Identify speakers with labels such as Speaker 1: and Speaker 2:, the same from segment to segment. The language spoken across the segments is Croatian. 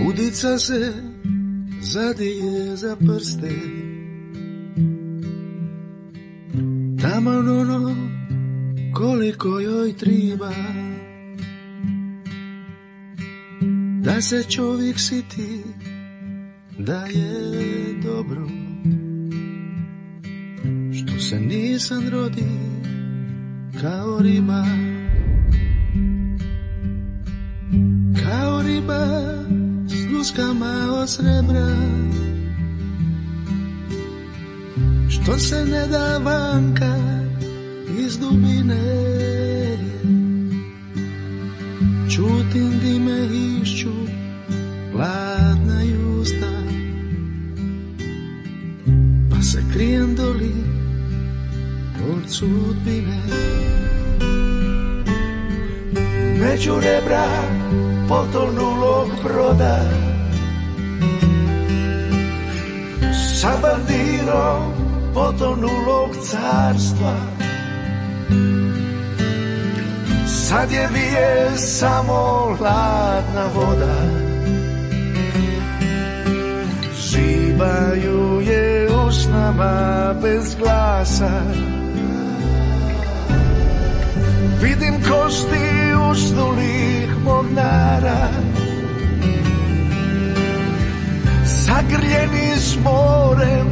Speaker 1: Udica se zadije za prste, taman ono koliko joj triba, da se čovjek siti da je dobro, što se nisam rodi kao riba, kao riba s luskama od srebra, što se ne da vanka iz dubine. Čutim di me išću hladna usta, pa se krijem doli od sudbine. Među rebra potonulog broda, sa bandirom potonulog carstva, sad je vije samo hladna voda, žibaju je usnama bez glasa, vidim kosti usnulih mornara, zagrljeni s morem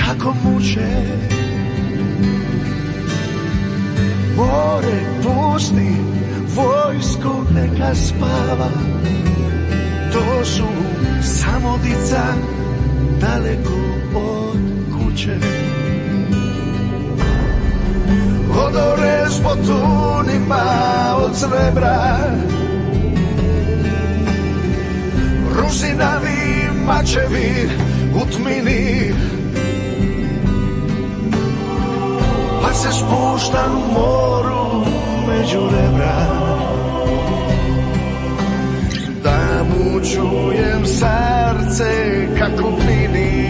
Speaker 1: kako muče. More pusti, vojsku neka spava, to su samo dica daleko od kuće. Odore s potunima od srebra, rusinavi mačevi u tmini, pa se spuštam u moru među rebra, da mu čujem srce kako pini.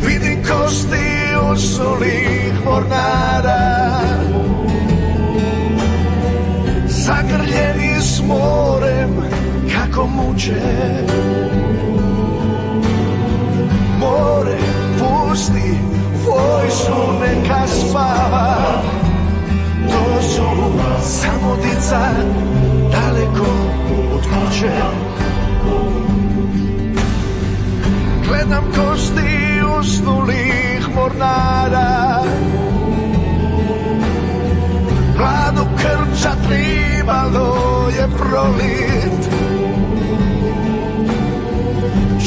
Speaker 1: Vidim kosti usulih mornara, zagrljeni s morem kako muče. More pusti, vojsku neka spava, to su samo dica daleko od kuće. Gledam kosti usnulih mornara, hladnu krča tribalo je prolit.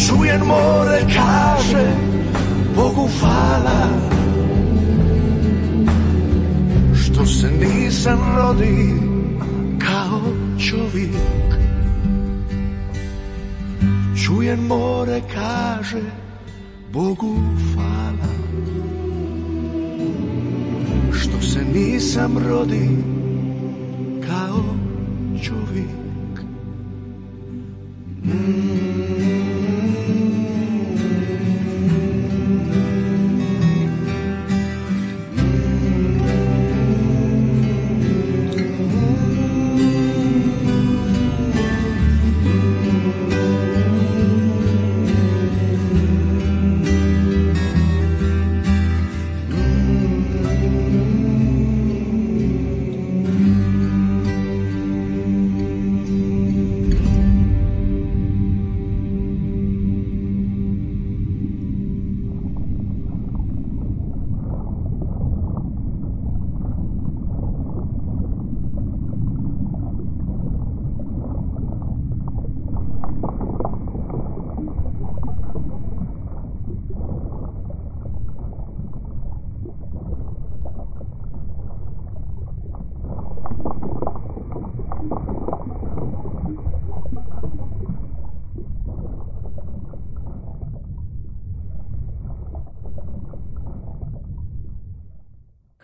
Speaker 1: Čujem more kaže Bogu hvala, što se nisam rodi kao čovjek. Čujem more kaže Bogu hvala, što se nisam rodi kao čovjek.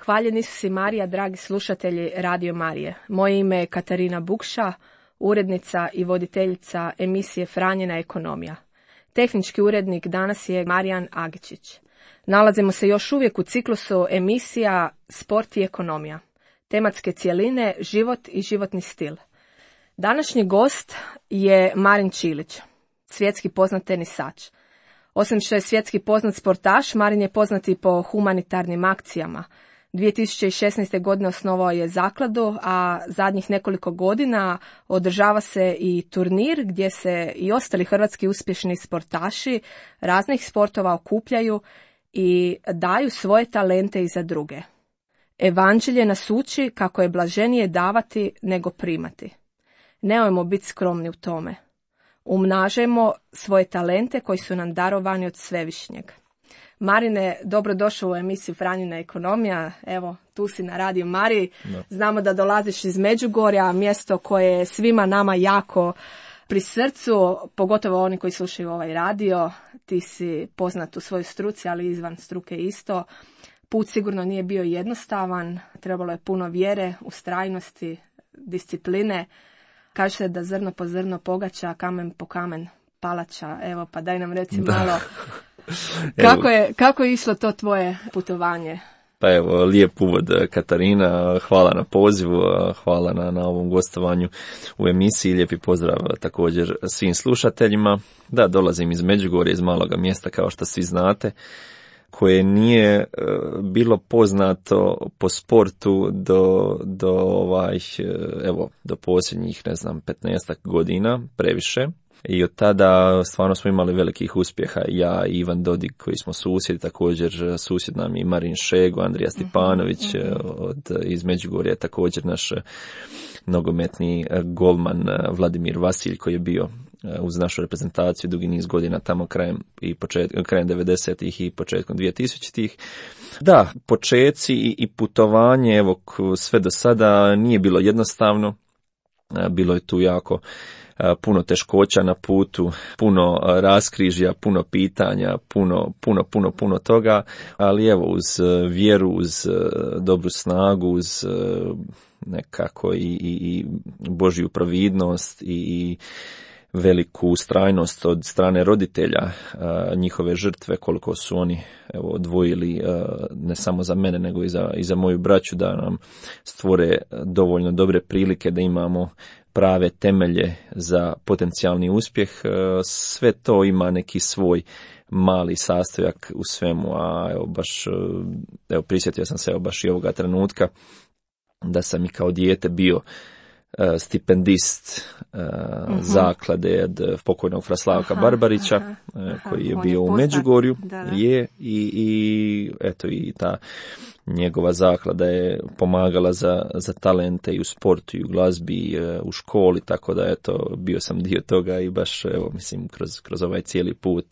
Speaker 2: Hvaljeni su si Marija, dragi slušatelji Radio Marije. Moje ime je Katarina Bukša, urednica i voditeljica emisije Franjina ekonomija. Tehnički urednik danas je Marijan Agičić. Nalazimo se još uvijek u ciklusu emisija Sport i ekonomija. Tematske cjeline, život i životni stil. Današnji gost je Marin Čilić, svjetski poznat tenisač. Osim što je svjetski poznat sportaš, Marin je poznat i po humanitarnim akcijama. 2016. godine osnovao je zakladu, a zadnjih nekoliko godina održava se i turnir gdje se i ostali hrvatski uspješni sportaši raznih sportova okupljaju i daju svoje talente i za druge. Evanđelje nas uči kako je blaženije davati nego primati. Nemojmo biti skromni u tome. Umnažajmo svoje talente koji su nam darovani od Svevišnjeg. Marine, dobrodošao u emisiju Franjina ekonomija. Evo, tu si na Radio Mariji. Znamo da dolaziš iz Međugorja, mjesto koje je svima nama jako pri srcu, pogotovo oni koji slušaju ovaj radio. Ti si poznat u svojoj struci, ali izvan struke isto. Put sigurno nije bio jednostavan, trebalo je puno vjere, ustrajnosti, discipline. Kaže se da zrno po zrno pogača, kamen po kamen palača. Evo, pa daj nam reci malo, kako je išlo to tvoje putovanje?
Speaker 3: Pa evo, lijep uvod, Katarina, hvala na pozivu, hvala na ovom gostovanju u emisiji, lijepi pozdrav također svim slušateljima. Da, dolazim iz Međugorja, iz maloga mjesta, kao što svi znate, koje nije bilo poznato po sportu do posljednjih, 15 godina, previše. I od tada stvarno smo imali velikih uspjeha. Ja i Ivan Dodig koji smo susjedi, također susjed nam i Marin Šego, Andrija Stipanović iz Međugorja, također naš nogometni golman Vladimir Vasilj koji je bio uz našu reprezentaciju dugi niz godina tamo krajem 90-ih i početkom 2000-ih. Da, počeci i putovanje, evo, sve do sada nije bilo jednostavno. Bilo je tu jako puno teškoća na putu, puno raskrižja, puno pitanja, puno toga, ali evo, uz vjeru, uz dobru snagu, uz nekako i Božju providnost i veliku ustrajnost od strane roditelja, njihove žrtve, koliko su oni odvojili ne samo za mene nego i za moju braću, da nam stvore dovoljno dobre prilike da imamo prave temelje za potencijalni uspjeh. Sve to ima neki svoj mali sastojak u svemu, a prisjetio sam se baš i ovoga trenutka da sam i kao dijete bio stipendist zaklade od pokojnog fra Slavka Barbarića, koji je bio u Međugorju. I ta njegova zaklada je pomagala za talente i u sportu i u glazbi i u školi, tako da bio sam dio toga i baš kroz ovaj cijeli put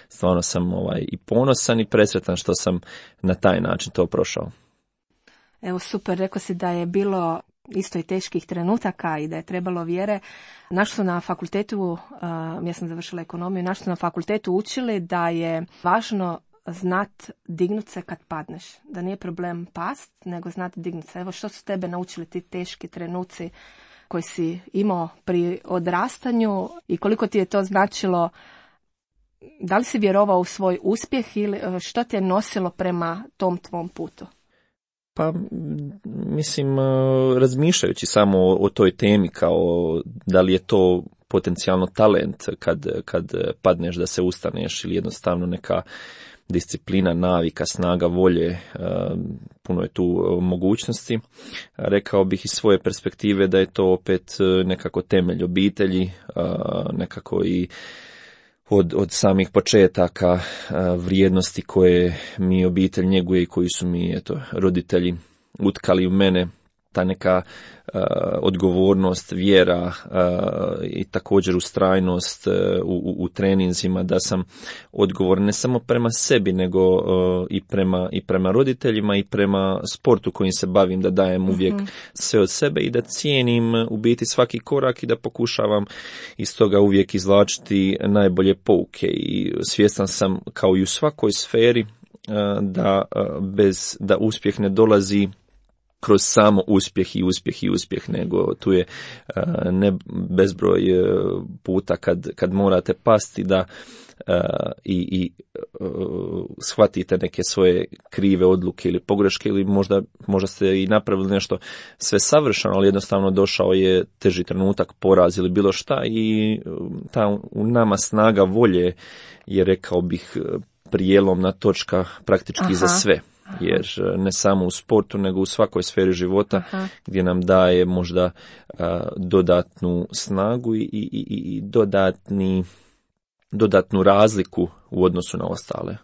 Speaker 3: stvarno sam i ponosan i presretan što sam na taj način to prošao.
Speaker 2: Evo, super, rekao si da je bilo isto i teških trenutaka i da je trebalo vjere. Naš su na fakultetu, ja sam završila ekonomiju, naš su na fakultetu učili da je važno znat dignut se kad padneš. Da nije problem past, nego znat dignut se. Evo, što su tebe naučili ti teški trenuci koji si imao pri odrastanju i koliko ti je to značilo? Da li si vjerovao u svoj uspjeh ili što te je nosilo prema tom tvom putu?
Speaker 3: Pa, razmišljajući samo o toj temi, kao da li je to potencijalno talent kad padneš da se ustaneš ili jednostavno neka disciplina, navika, snaga volje, puno je tu mogućnosti. Rekao bih iz svoje perspektive da je to opet nekako temelj obitelji, nekako i od samih početaka vrijednosti koje mi obitelj njeguje i koji su mi roditelji utkali u mene, ta neka odgovornost, vjera i također ustrajnost u treninzima, da sam odgovoran ne samo prema sebi nego i prema roditeljima i prema sportu kojim se bavim, da dajem uvijek sve od sebe i da cijenim u biti svaki korak i da pokušavam iz toga uvijek izvlačiti najbolje pouke. I svjestan sam, kao i u svakoj sferi, da uspjeh ne dolazi kroz samo uspjeh, nego tu je ne bezbroj puta kad morate pasti da i shvatite neke svoje krive odluke ili pogreške, ili možda ste i napravili nešto sve savršeno, ali jednostavno došao je teži trenutak, poraz ili bilo šta, i ta u nama snaga volje je, rekao bih, prijelomna točka praktički za sve. Jer ne samo u sportu, nego u svakoj sferi života, gdje nam daje možda dodatnu snagu i dodatnu razliku u odnosu na ostale.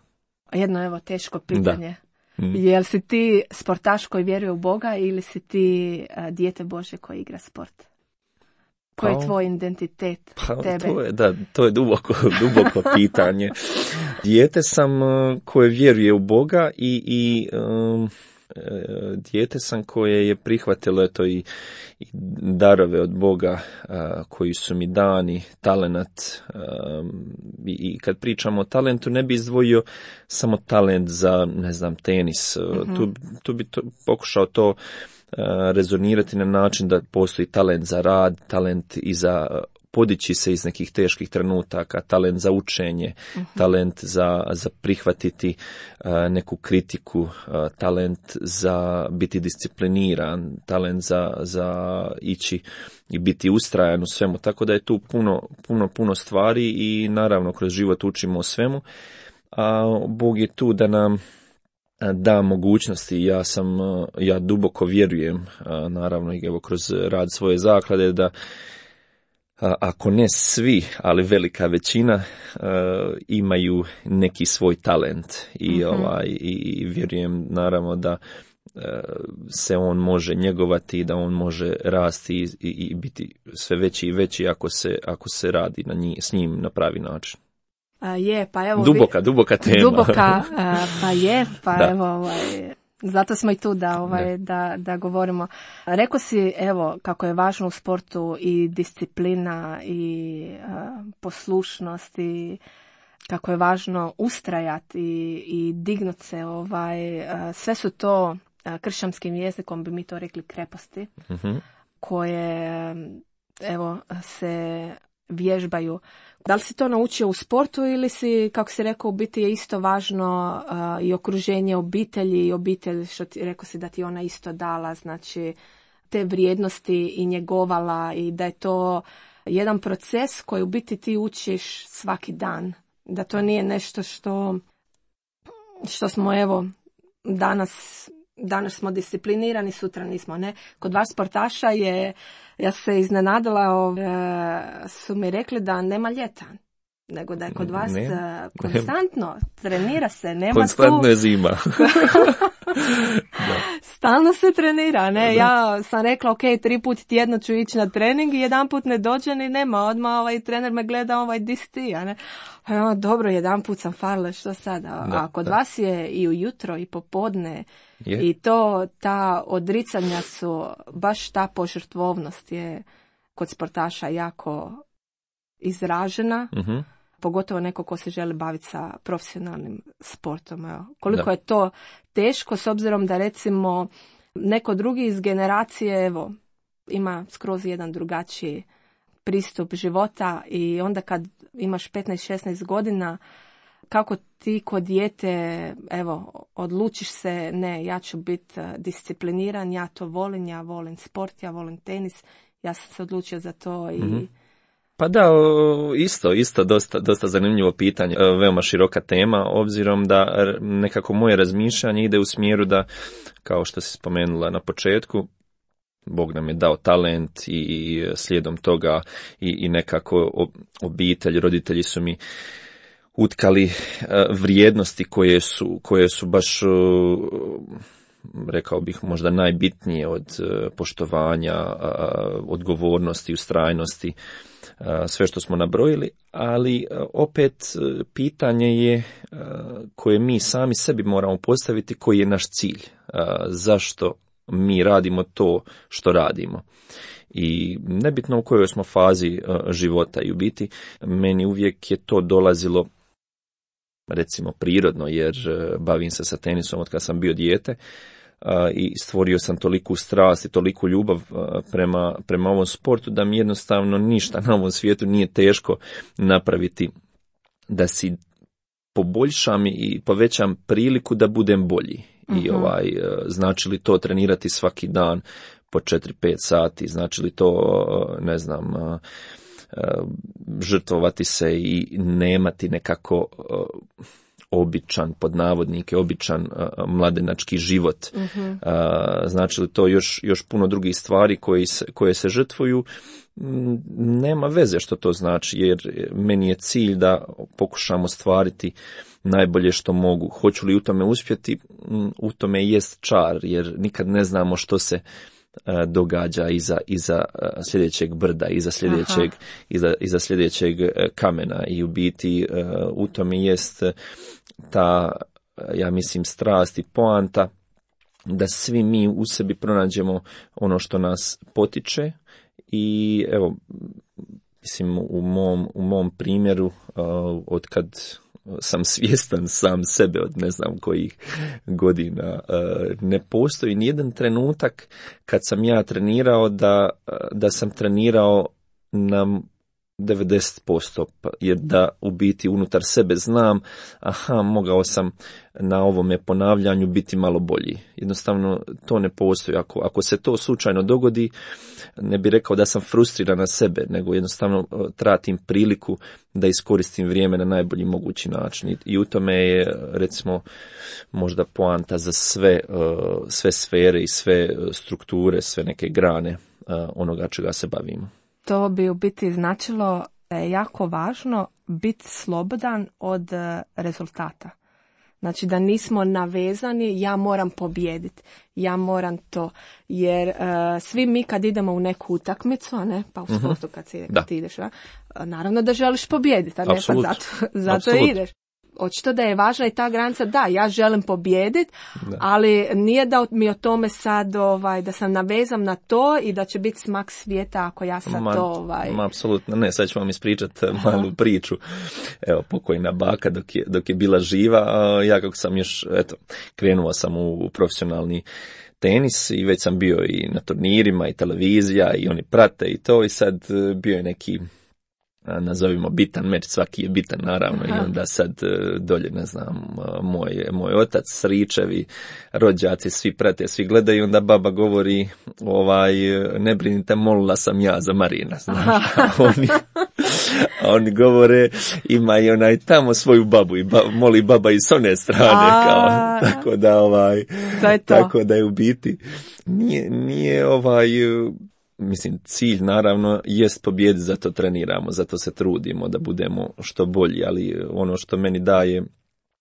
Speaker 2: Jedno evo teško pitanje. Jel si ti sportaš koji vjeruje u Boga ili si ti dijete Bože koji igra sport? Koji je tvoj identitet tebe?
Speaker 3: To je duboko pitanje. Dijete sam koje vjeruje u Boga i dijete sam koje je prihvatilo i darove od Boga koji su mi dani, talenat. I kad pričamo o talentu, ne bi izdvojio samo talent za, ne znam, tenis. Tu bi pokušao to rezonirati na način da postoji talent za rad, talent i za podići se iz nekih teških trenutaka, talent za učenje, talent za prihvatiti neku kritiku, talent za biti discipliniran, talent za ići i biti ustrajan u svemu. Tako da je tu puno stvari i naravno kroz život učimo o svemu, a Bog je tu da nam da mogućnosti. Ja duboko vjerujem, naravno i evo kroz rad svoje zaklade, da ako ne svi, ali velika većina imaju neki svoj talent i vjerujem naravno da se on može njegovati, da on može rasti i biti sve veći i veći ako se radi s njim na pravi način.
Speaker 2: Pa evo
Speaker 3: duboka tema.
Speaker 2: Da. Evo zato smo i tu da govorimo. Rekao si evo kako je važno u sportu i disciplina i poslušnost i kako je važno ustrajati i dignut se. Sve su to kršćanskim jezikom bi mi to rekli kreposti koje evo se vježbaju. Da li si to naučio u sportu ili si, kako si rekao, u biti je isto važno i okruženje obitelji i obitelj, što ti rekao si da ti ona isto dala, znači te vrijednosti i njegovala, i da je to jedan proces koji u biti ti učiš svaki dan. Da to nije nešto što smo evo danas smo disciplinirani, sutra nismo, ne. Kod vas sportaša ja se iznenadila, su mi rekli da nema ljeta, nego da je kod vas konstantno trenira se, nema
Speaker 3: konstantno je zima.
Speaker 2: Stalno se trenira, ne. Ja sam rekla, ok, 3 puta tjedno ću ići na trening i jedan put ne dođe ni nema, odmah trener me gleda, di si ti, a ne. Dobro, jedan put sam falila, što sada? A kod vas je i ujutro i popodne. I ta odricanja su, baš ta požrtvovnost je kod sportaša jako izražena, pogotovo neko ko se želi baviti sa profesionalnim sportom. Evo. Koliko je to teško, s obzirom da recimo neko drugi iz generacije evo ima skroz jedan drugačiji pristup života, i onda kad imaš 15-16 godina, kako ti kod dijete, evo, odlučiš se, ne, ja ću biti discipliniran, ja to volim, ja volim sport, ja volim tenis, ja sam se odlučio za to i...
Speaker 3: Pa da, isto dosta zanimljivo pitanje, veoma široka tema, obzirom da nekako moje razmišljanje ide u smjeru da, kao što si spomenula na početku, Bog nam je dao talent i slijedom toga i nekako obitelj, roditelji su mi utkali vrijednosti koje su baš, rekao bih, možda najbitnije od poštovanja, odgovornosti, ustrajnosti, sve što smo nabrojili, ali opet pitanje je koje mi sami sebi moramo postaviti, koji je naš cilj, zašto mi radimo to što radimo. I nebitno u kojoj smo fazi života, i u biti meni uvijek je to dolazilo recimo prirodno, jer bavim se sa tenisom od kad sam bio dijete, i stvorio sam toliku strast i toliku ljubav prema ovom sportu da mi jednostavno ništa na ovom svijetu nije teško napraviti da si poboljšam i povećam priliku da budem bolji. I znači li to trenirati svaki dan po 4-5 sati, znači li to, ne znam, žrtvovati se i nemati nekako običan, pod navodnike, običan mladenački život. Znači li to još puno drugih stvari koje se žrtvuju, nema veze što to znači, jer meni je cilj da pokušam ostvariti najbolje što mogu. Hoću li u tome uspjeti, u tome jest čar, jer nikad ne znamo što se događa iza sljedećeg brda, iza sljedećeg kamena, i u biti u tome jest ta, ja mislim, strast i poanta da svi mi u sebi pronađemo ono što nas potiče. I evo, mislim, u mom primjeru, od kad sam svjestan sam sebe, od ne znam kojih godina, ne postoji nijedan trenutak kad sam ja trenirao da sam trenirao na 90%, jer da u biti unutar sebe znam, mogao sam na ovome ponavljanju biti malo bolji. Jednostavno to ne postoji. Ako se to slučajno dogodi, ne bi rekao da sam frustriran na sebe, nego jednostavno tratim priliku da iskoristim vrijeme na najbolji mogući način. I u tome je, recimo, možda poanta za sve sfere i sve strukture, sve neke grane onoga čega se bavimo.
Speaker 2: To bi u biti značilo da je jako važno biti slobodan od rezultata. Znači da nismo navezani, ja moram pobijediti, ja moram to. Jer svi mi kad idemo u neku utakmicu, a ne, pa u sportu kad ti ideš, naravno da želiš pobijediti, a ne pa zato ideš. Očito da je važna i ta granica, da, ja želim pobijediti, ali nije da mi o tome sad, da sam navezam na to i da će biti smak svijeta ako ja sad to...
Speaker 3: Apsolutno ne, sad ću vam ispričati malu priču. Evo, pokojna baka dok je bila živa, ja kako sam još, krenuo sam u profesionalni tenis i već sam bio i na turnirima i televizija i oni prate i to, i sad bio je neki, nazovimo, bitan meč, svaki je bitan naravno. I onda sad dolje, ne znam, moj otac, stričevi, rođaci, svi prate, svi gledaju, onda baba govori, ne brinite, molila sam ja za Marina, znaš. A oni govore, ima i onaj tamo svoju babu i moli baba i s one strane, tako da tako da je u biti nije mislim, cilj naravno jest pobijediti, zato treniramo, zato se trudimo da budemo što bolji, ali ono što meni daje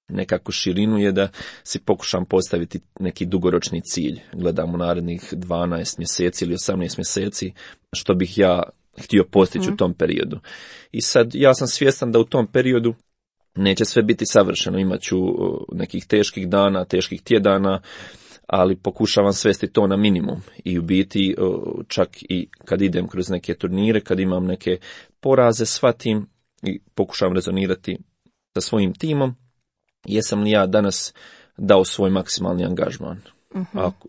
Speaker 3: nekako širinu je da si pokušam postaviti neki dugoročni cilj. Gledam u narednih 12 mjeseci ili 18 mjeseci što bih ja htio postići u tom periodu. I sad ja sam svjestan da u tom periodu neće sve biti savršeno, imat ću nekih teških dana, teških tjedana, ali pokušavam svesti to na minimum. I u biti čak i kad idem kroz neke turnire, kad imam neke poraze, shvatim i pokušavam rezonirati sa svojim timom, jesam li ja danas dao svoj maksimalni angažman.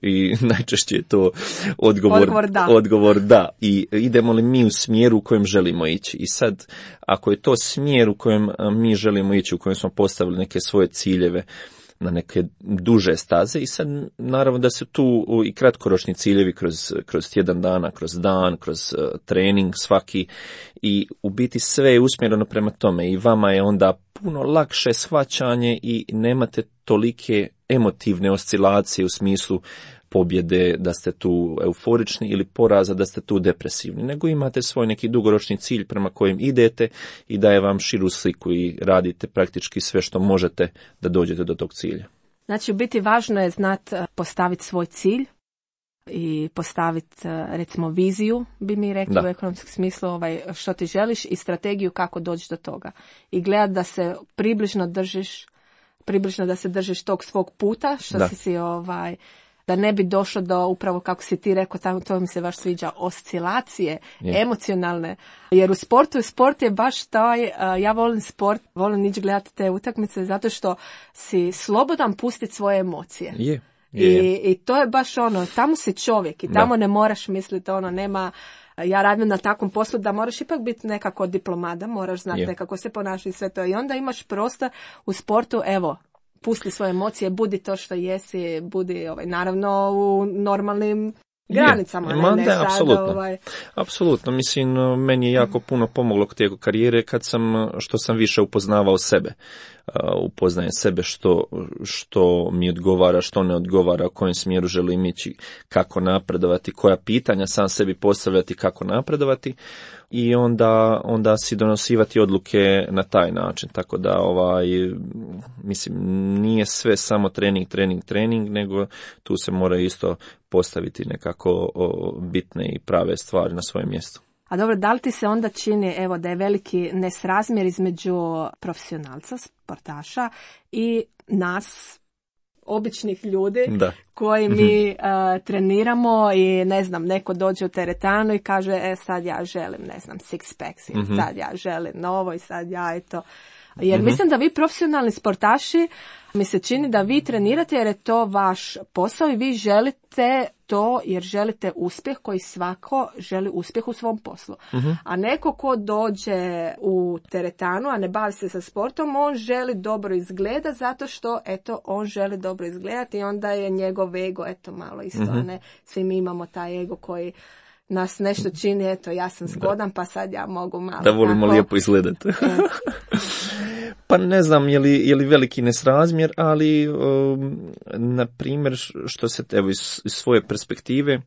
Speaker 3: I najčešće je to odgovor da. I idemo li mi u smjeru u kojem želimo ići. I sad, ako je to smjer u kojem mi želimo ići, u kojem smo postavili neke svoje ciljeve na neke duže staze, i sad naravno da su tu i kratkoročni ciljevi kroz tjedan dana, kroz dan, kroz trening svaki, i u biti sve je usmjereno prema tome i vama je onda puno lakše shvaćanje i nemate tolike emotivne oscilacije u smislu pobjede, da ste tu euforični, ili poraza, da ste tu depresivni, nego imate svoj neki dugoročni cilj prema kojem idete i daje vam širu sliku i radite praktički sve što možete da dođete do tog cilja.
Speaker 2: Znači, u biti važno je znati postaviti svoj cilj i postaviti, recimo, viziju, bi mi rekli u ekonomskom smislu, što ti želiš, i strategiju kako doći do toga. I gledati da se približno da se držiš tog svog puta, što si da ne bi došlo do, upravo kako si ti rekao, to mi se baš sviđa, oscilacije, emocionalne. Jer u sport je baš taj, ja volim sport, volim ići gledati te utakmice zato što si slobodan pustiti svoje emocije. I to je baš ono, tamo si čovjek i tamo ne moraš misliti nema, ja radim na takvom poslu da moraš ipak biti nekako diplomata, moraš znati nekako se ponašati sve to i onda imaš prostor u sportu, evo, pusti svoje emocije, budi to što jesi, budi naravno u normalnim granicama.
Speaker 3: Apsolutno, mislim, meni je jako puno pomoglo tijekom karijere što sam više upoznavao sebe. Upoznajem sebe što mi odgovara, što ne odgovara, u kojem smjeru želim ići, kako napredovati, koja pitanja sam sebi postavljati, kako napredovati i onda si donosivati odluke na taj način. Tako da mislim, nije sve samo trening, nego tu se mora isto postaviti nekako bitne i prave stvari na svoje mjesto.
Speaker 2: A dobro, da li ti se onda čini da je veliki nesrazmjer između profesionalca, sportaša i nas, običnih ljudi koji mi treniramo i ne znam, neko dođe u teretanu i kaže sad ja želim, ne znam, six packs, sad ja želim novo i sad ja eto. Jer mislim da vi profesionalni sportaši, mi se čini da vi trenirate jer je to vaš posao i vi želite to jer želite uspjeh koji svako želi uspjeh u svom poslu. A neko ko dođe u teretanu, a ne bavi se sa sportom, on želi dobro izgleda zato što on želi dobro izgledati i onda je njegov ego malo isto, a ne svi mi imamo taj ego koji nas nešto čini, ja sam zgodan, pa sad ja mogu malo.
Speaker 3: Da volimo lijepo izgledati. Pa ne znam je li veliki nesrazmjer, ali na primjer što se iz svoje perspektive,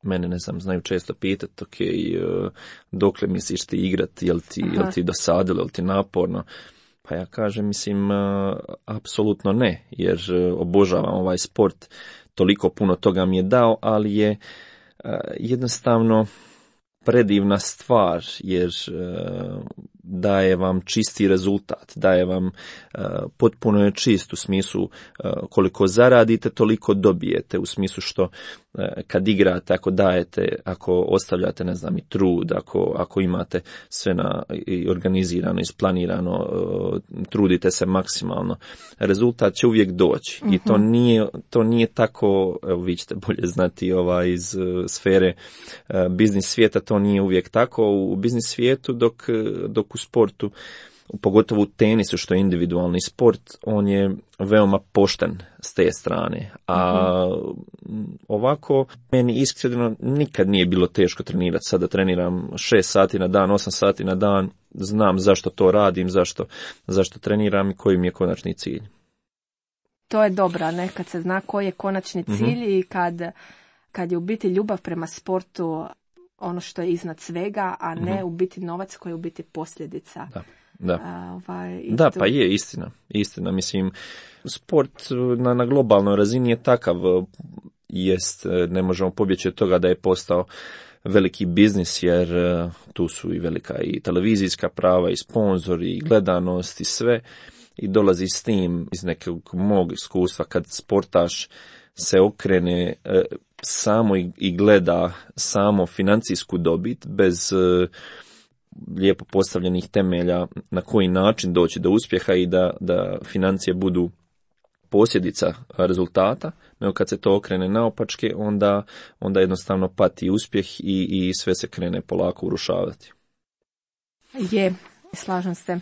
Speaker 3: mene ne znam, znaju često pitati, dokle misliš ti igrati, jel ti dosadilo, jel ti naporno? Pa ja kažem, mislim, apsolutno ne, jer obožavam ovaj sport, toliko puno toga mi je dao, ali je jednostavno predivna stvar, jer daje vam čisti rezultat, daje vam potpuno je čist u smislu koliko zaradite, toliko dobijete, u smislu što kad igrate, ako dajete, ako ostavljate, ne znam, i trud, ako imate sve organizirano, isplanirano, trudite se maksimalno, rezultat će uvijek doći. I to nije tako, evo vi ćete bolje znati iz sfere biznis svijeta, to nije uvijek tako. U biznis svijetu dok u sportu, pogotovo u tenisu što je individualni sport, on je veoma pošten s te strane. A ovako, meni iskreno nikad nije bilo teško trenirati. Sada treniram 6 sati na dan, 8 sati na dan, znam zašto to radim, zašto treniram i koji mi je konačni cilj.
Speaker 2: To je dobro, kad se zna koji je konačni cilj i kad je u biti ljubav prema sportu ono što je iznad svega, a ne u biti novac koji je u biti posljedica.
Speaker 3: Da, pa je istina. Mislim, sport na globalnoj razini je takav, ne možemo pobjeći od toga da je postao veliki biznis, jer tu su i velika i televizijska prava, i sponzori, i gledanost, i sve. I dolazi s tim iz nekog mog iskustva kad sportaš se okrene samo i gleda samo financijsku dobit bez lijepo postavljenih temelja na koji način doći do uspjeha i da financije budu posljedica rezultata, nego kad se to okrene naopačke, onda jednostavno pati uspjeh i sve se krene polako urušavati.
Speaker 2: Slažem se.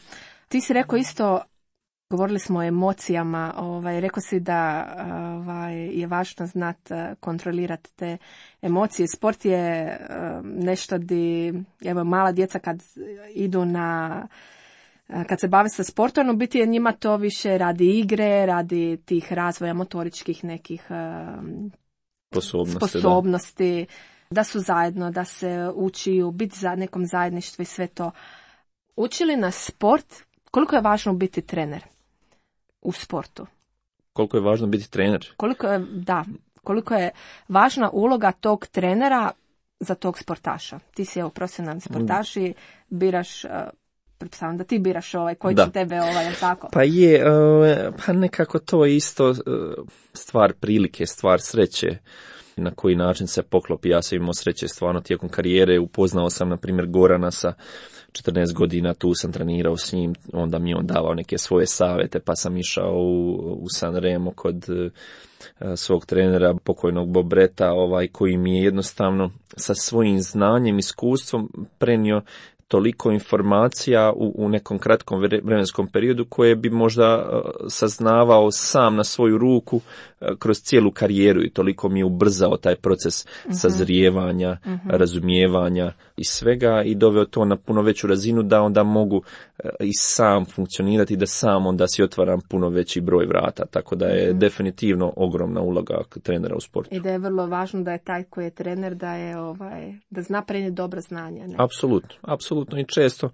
Speaker 2: Ti si rekao isto, govorili smo o emocijama, rekao si da je važno znati kontrolirati te emocije. Sport je nešto di, mala djeca kad idu kad se bave sa sportom, u biti je njima to više radi igre, radi tih razvoja motoričkih nekih sposobnosti, da su zajedno, da se učiju, biti za nekom zajedništvu i sve to. Uči li nas sport? Koliko je važno biti trener u sportu?
Speaker 3: Koliko je važno biti trener?
Speaker 2: Koliko je važna uloga tog trenera za tog sportaša? Ti si profesionalni sportaš i biraš, pretpostavljam da ti biraš koji će tebe tako?
Speaker 3: Pa pa nekako to je isto stvar prilike, stvar sreće. Na koji način se poklopi. Ja sam imao sreće stvarno tijekom karijere, upoznao sam na primjer Gorana sa 14 godina, tu sam trenirao s njim, onda mi on davao neke svoje savjete, pa sam išao u San Remo kod svog trenera, pokojnog Bob Bretta, koji mi je jednostavno sa svojim znanjem, iskustvom prenio toliko informacija u nekom kratkom vremenskom periodu koje bi možda saznavao sam na svoju ruku kroz cijelu karijeru, i toliko mi je ubrzao taj proces sazrijevanja, razumijevanja i svega, i doveo to na puno veću razinu da onda mogu i sam funkcionirati, da sam onda si otvaram puno veći broj vrata, tako da je definitivno ogromna uloga trenera u sportu.
Speaker 2: I da je vrlo važno da je taj koji je trener da zna prenijeti dobra znanja. Ne?
Speaker 3: Apsolutno, i često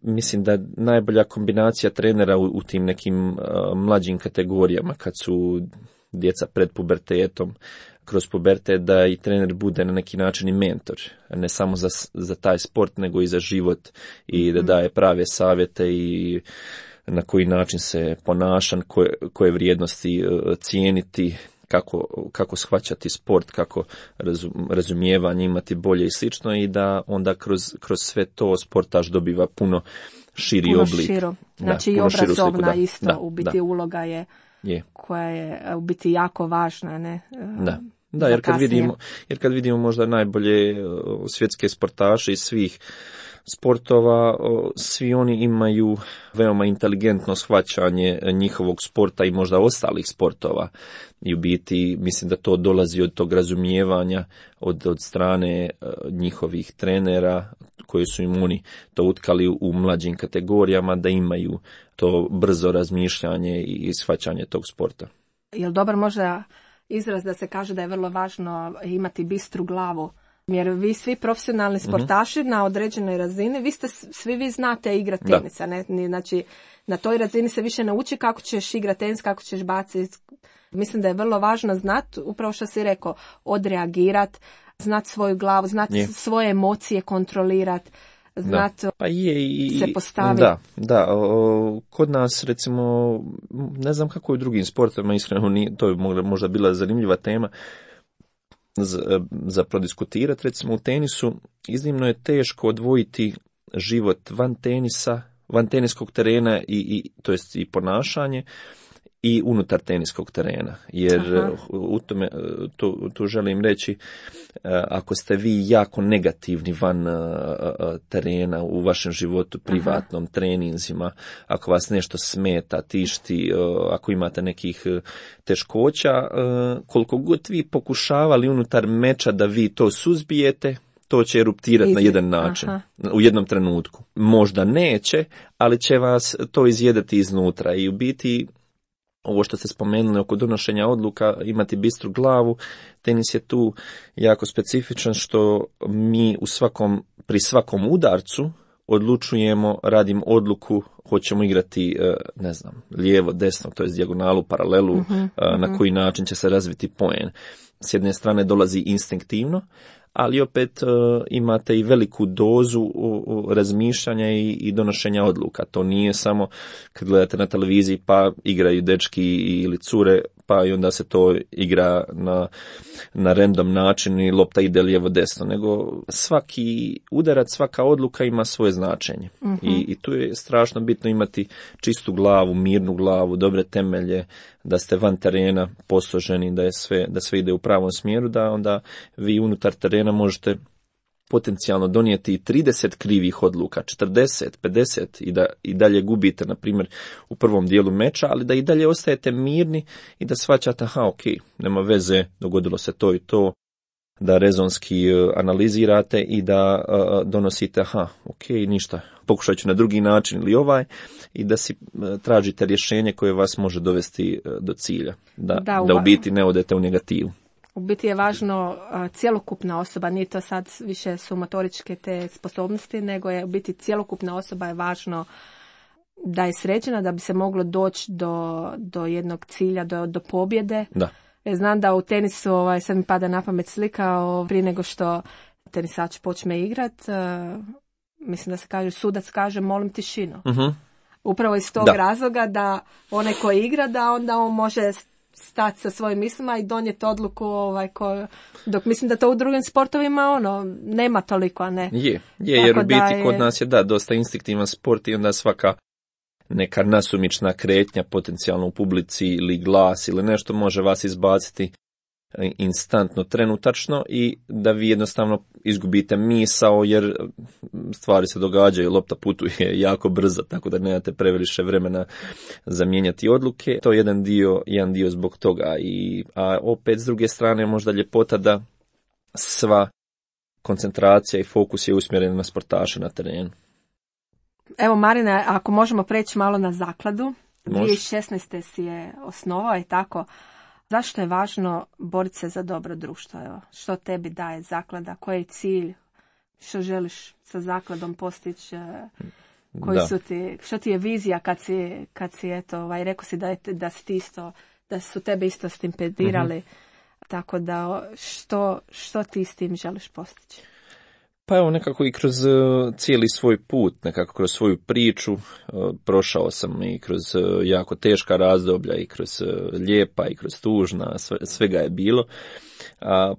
Speaker 3: mislim da najbolja kombinacija trenera u tim nekim mlađim kategorijama, kad su djeca pred pubertetom, kroz pubertet, da i trener bude na neki način i mentor, ne samo za taj sport, nego i za život, i da daje prave savjete i na koji način se ponašan, koje vrijednosti cijeniti, kako shvaćati sport, kako razumijevanje imati bolje i slično, i da onda kroz sve to sportaš dobiva puno širi oblik.
Speaker 2: Širo. Znači i obrazovna isto, u biti uloga je koja je u biti jako važna. Ne?
Speaker 3: Da, jer kad vidimo možda najbolje svjetske sportaše iz svih sportova, svi oni imaju veoma inteligentno shvaćanje njihovog sporta i možda ostalih sportova, i u biti mislim da to dolazi od tog razumijevanja od strane njihovih trenera, koji su im oni to utkali u mlađim kategorijama, da imaju to brzo razmišljanje i shvaćanje tog sporta.
Speaker 2: Jel dobar možda izraz da se kaže da je vrlo važno imati bistru glavu? Jer vi svi profesionalni sportaši na određenoj razini, svi vi znate igrati tenisa. Ne? Znači, na toj razini se više nauči kako ćeš igrati tenis, kako ćeš baciti. Mislim da je vrlo važno znati, upravo što si rekao, odreagirati, znati svoju glavu, znati svoje emocije kontrolirati, znati se postaviti.
Speaker 3: Da, kod nas recimo, ne znam kako je u drugim sportovima, iskreno to je možda bila zanimljiva tema za prodiskutirati. Recimo u tenisu iznimno je teško odvojiti život van tenisa, van teniskog terena, to jest i ponašanje, i unutar teniskog terena. Jer u tome, tu želim reći, ako ste vi jako negativni van terena u vašem životu, privatnom, treninzima, ako vas nešto smeta, tišti, ako imate nekih teškoća, koliko god vi pokušavali unutar meča da vi to suzbijete, to će eruptirati na jedan način, u jednom trenutku. Možda neće, ali će vas to izjedati iznutra, i u biti ovo što ste spomenuli oko donošenja odluka, imati bistru glavu, tenis je tu jako specifičan, što mi pri svakom udarcu odlučujemo, radim odluku, hoćemo igrati, lijevo, desno, to je dijagonalu, paralelu, na koji način će se razviti poen. S jedne strane dolazi instinktivno, ali opet imate i veliku dozu razmišljanja i donošenja odluka. To nije samo kad gledate na televiziji pa igraju dečki ili cure, pa i onda se to igra na random način i lopta ide lijevo desno, nego svaki udarac, svaka odluka ima svoje značenje. I tu je strašno bitno imati čistu glavu, mirnu glavu, dobre temelje, da ste van terena posloženi, da sve ide u pravom smjeru, da onda vi unutar terena možete potencijalno donijeti 30 krivih odluka, 40, 50 i dalje gubite, na primjer, u prvom dijelu meča, ali da i dalje ostajete mirni i da shvaćate, nema veze, dogodilo se to i to, da rezonski analizirate i da donosite, ništa, pokušat ću na drugi način ili i da si tražite rješenje koje vas može dovesti do cilja, da u biti ne odete u negativu.
Speaker 2: U biti je važno cjelokupna osoba, nije to sad više su motoričke te sposobnosti, nego je u biti cjelokupna osoba je važno da je sređena, da bi se moglo doći do jednog cilja, do pobjede.
Speaker 3: Da.
Speaker 2: Znam da u tenisu, sad mi pada na pamet slika, prije nego što tenisač počne igrat, mislim da se kaže, sudac kaže molim tišinu. Upravo iz tog razloga da onaj koji igra, da onda on može stati sa svojim mislima i donijeti odluku dok mislim da to u drugim sportovima nema toliko, a ne.
Speaker 3: Je, jer u biti kod nas je dosta instinktivan sport i onda svaka neka nasumična kretnja potencijalno u publici ili glas ili nešto može vas izbaciti instantno, trenutačno i da vi jednostavno izgubite misao jer stvari se događaju, lopta putuje jako brzo, tako da nemate previše vremena za mijenjati odluke. To je jedan dio zbog toga. A opet s druge strane možda ljepota da sva koncentracija i fokus je usmjeren na sportaše na terenu.
Speaker 2: Evo Marine, ako možemo preći malo na zakladu. 2016. si je osnovao i tako. Zašto je važno boriti se za dobro društvo? Evo, što tebi daje zaklada? Koji je cilj? Što želiš sa zakladom postići? Što ti je vizija kad si eto, rekao si da si ti isto, da su tebe isto stipendirali. Tako da, što ti s tim želiš postići?
Speaker 3: Pa evo, nekako i kroz cijeli svoj put, nekako kroz svoju priču, prošao sam i kroz jako teška razdoblja i kroz lijepa i kroz tužna, svega je bilo.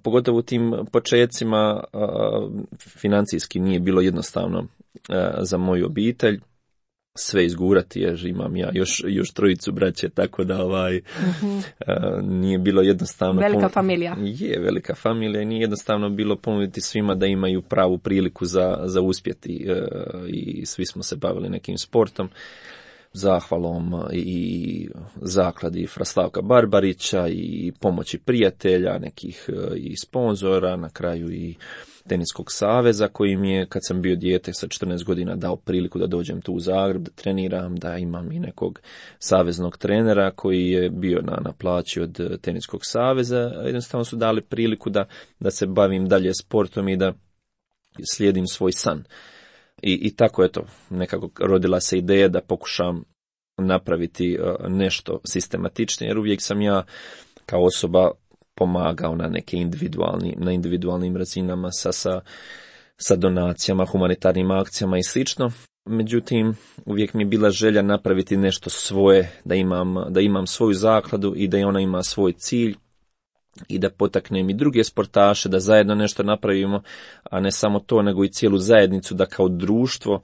Speaker 3: Pogotovo u tim počecima financijski nije bilo jednostavno za moju obitelj sve izgurati, jer imam ja još trojicu braće, tako da nije bilo jednostavno.
Speaker 2: Velika familija.
Speaker 3: Je, velika familija i nije jednostavno bilo ponuditi svima da imaju pravu priliku za uspjeti i svi smo se bavili nekim sportom. Zahvalom i zakladi Fra Slavka Barbarića i pomoći prijatelja, nekih i sponzora, na kraju i Teniskog saveza koji mi je, kad sam bio dijete sa 14 godina, dao priliku da dođem tu u Zagreb, da treniram, da imam i nekog saveznog trenera koji je bio na plaći od Teniskog saveza. Jednostavno su dali priliku da se bavim dalje sportom i da slijedim svoj san. I tako eto, nekako rodila se ideja da pokušam napraviti nešto sistematičnije, jer uvijek sam ja kao osoba pomagao na neke individualnim razinama sa donacijama, humanitarnim akcijama i slično. Međutim, uvijek mi je bila želja napraviti nešto svoje, da imam svoju zakladu i da ona ima svoj cilj i da potaknem i druge sportaše da zajedno nešto napravimo, a ne samo to, nego i cijelu zajednicu, da kao društvo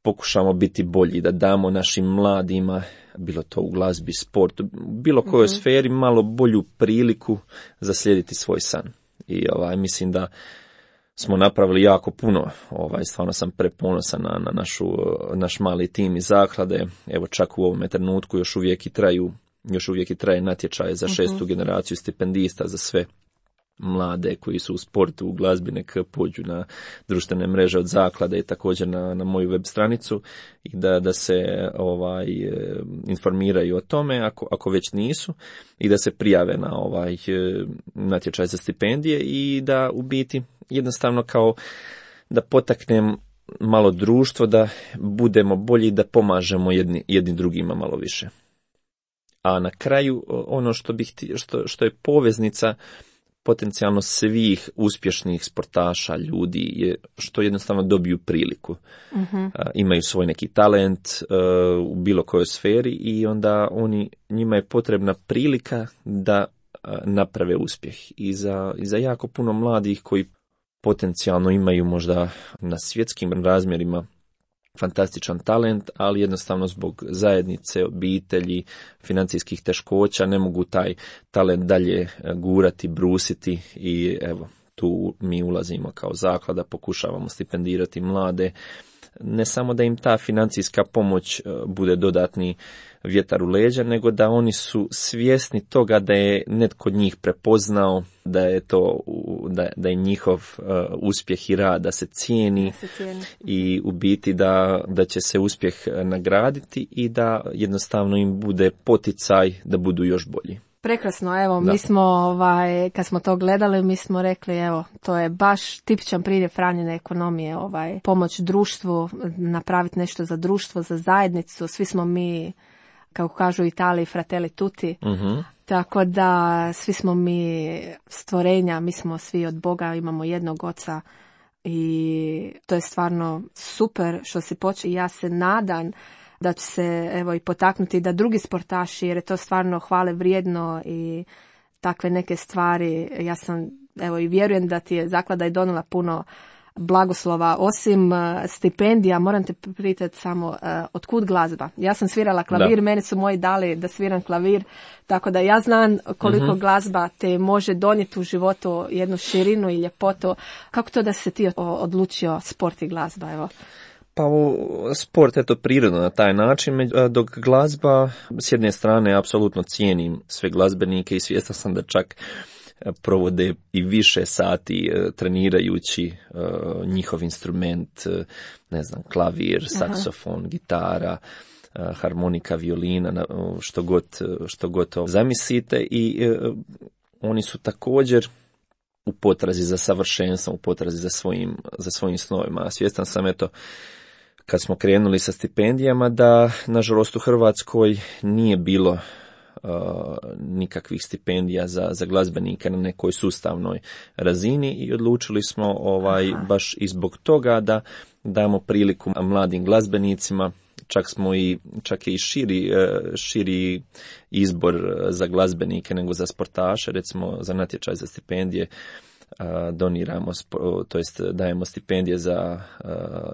Speaker 3: pokušamo biti bolji, da damo našim mladima, bilo to u glazbi, sportu, bilo kojoj sferi, malo bolju priliku za slijediti svoj san. I mislim da smo napravili jako puno. Stvarno sam preponosan na naš mali tim iz zaklade. Evo, čak u ovome trenutku još uvijek i traje natječaj za 6. generaciju stipendista za sve mlade koji su u sportu, u glazbi, nek pođu na društvene mreže od zaklade i također na moju web stranicu i da se informiraju o tome ako već nisu i da se prijave na natječaj za stipendije i da u biti jednostavno kao da potaknem malo društvo da budemo bolji, da pomažemo jedni drugima malo više. A na kraju ono što je poveznica potencijalno svih uspješnih sportaša, ljudi, je što jednostavno dobiju priliku. Imaju svoj neki talent u bilo kojoj sferi i onda njima je potrebna prilika da naprave uspjeh. I za jako puno mladih koji potencijalno imaju možda na svjetskim razmjerima fantastičan talent, ali jednostavno zbog zajednice, obitelji, financijskih teškoća ne mogu taj talent dalje gurati, brusiti i evo, tu mi ulazimo kao zaklada, pokušavamo stipendirati mlade, ne samo da im ta financijska pomoć bude dodatni vjetar u leđa, nego da oni su svjesni toga da je netko od njih prepoznao, da je njihov uspjeh i rad, da se cijeni i u biti da će se uspjeh nagraditi i da jednostavno im bude poticaj da budu još bolji.
Speaker 2: Prekrasno, evo, mi smo, kad smo to gledali, mi smo rekli, evo, to je baš tipičan priljev Franjine ekonomije, pomoć društvu, napraviti nešto za društvo, za zajednicu, svi smo mi, kako kažu u Italiji, fratelli tutti, tako da svi smo mi stvorenja, mi smo svi od Boga, imamo jednog oca i to je stvarno super što si počeo i ja se nadam da će se evo i potaknuti da drugi sportaši, jer je to stvarno hvale vrijedno i takve neke stvari. Ja sam evo i vjerujem da ti je zaklada i donijela puno blagoslova. Osim stipendija, moram te pitati samo otkud glazba. Ja sam svirala klavir, meni su moji dali da sviram klavir, tako da ja znam koliko glazba te može donijeti u životu jednu širinu i ljepotu. Kako to da se ti odlučio sport i glazba, evo?
Speaker 3: Pa sport je to prirodno na taj način, dok glazba, s jedne strane, apsolutno cijenim sve glazbenike i svjestan sam da čak provode i više sati trenirajući njihov instrument, ne znam, klavir, saksofon, gitara, harmonika, violina, što god to zamislite, i oni su također u potrazi za savršenstvom, u potrazi za svojim snovima. Svjestan sam, eto, kad smo krenuli sa stipendijama, da nažalost u Hrvatskoj nije bilo nikakvih stipendija za glazbenike na nekoj sustavnoj razini, i odlučili smo baš i zbog toga da damo priliku mladim glazbenicima. Čak je i širi izbor za glazbenike nego za sportaše. Recimo, za natječaj za stipendije doniramo, to jest dajemo stipendije za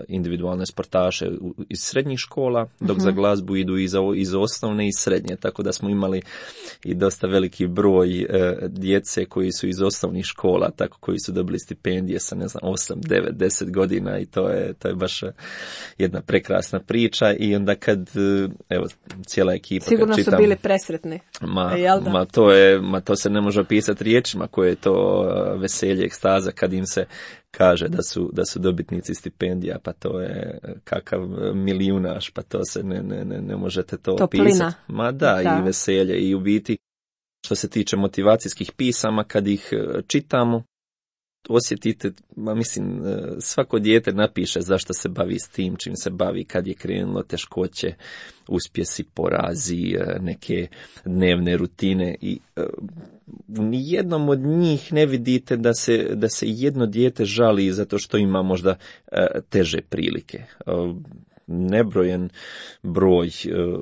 Speaker 3: individualne sportaše iz srednjih škola, dok za glazbu idu iz osnovne i srednje, tako da smo imali i dosta veliki broj djece koji su iz osnovnih škola, tako koji su dobili stipendije sa, ne znam, 8, 9, 10 godina, i to je baš jedna prekrasna priča. I onda kad, evo, cijela ekipa,
Speaker 2: sigurno
Speaker 3: kad čitam,
Speaker 2: su bili presretni.
Speaker 3: To se ne može opisati riječima koje je to veselje, ekstaza kad im se kaže da su dobitnici stipendija, pa to je kakav milijunaš, pa to se ne možete to opisati. Ma da, i veselje, i u biti što se tiče motivacijskih pisama, kad ih čitamo, osjetite, mislim, svako dijete napiše zašto se bavi s tim, čim se bavi, kad je krenulo, teškoće, uspjesi, porazi, neke dnevne rutine, i u nijednom od njih ne vidite da se jedno dijete žali zato što ima možda teže prilike. Nebrojen broj